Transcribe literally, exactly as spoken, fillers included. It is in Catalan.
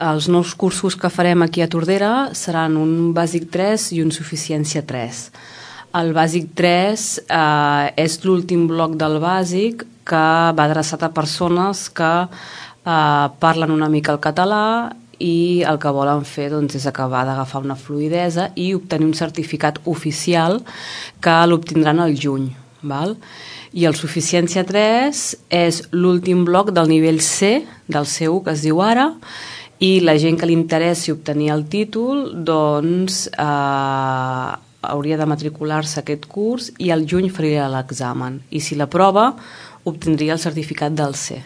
els nous cursos que farem aquí a Tordera seran un bàsic tres i un suficiència tres. El bàsic tres eh, és l'últim bloc del bàsic que va adreçat a persones que eh, parlen una mica el català i el que volen fer doncs, és acabar d'agafar una fluïdesa i obtenir un certificat oficial que l'obtindran al juny. Val? I el suficiència tres és l'últim bloc del nivell C, del C u que es diu ara, i la gent que li interessi obtenir el títol doncs eh, hauria de matricular-se a aquest curs i al juny faria l'examen. I si l'aprova, obtindria el certificat del C.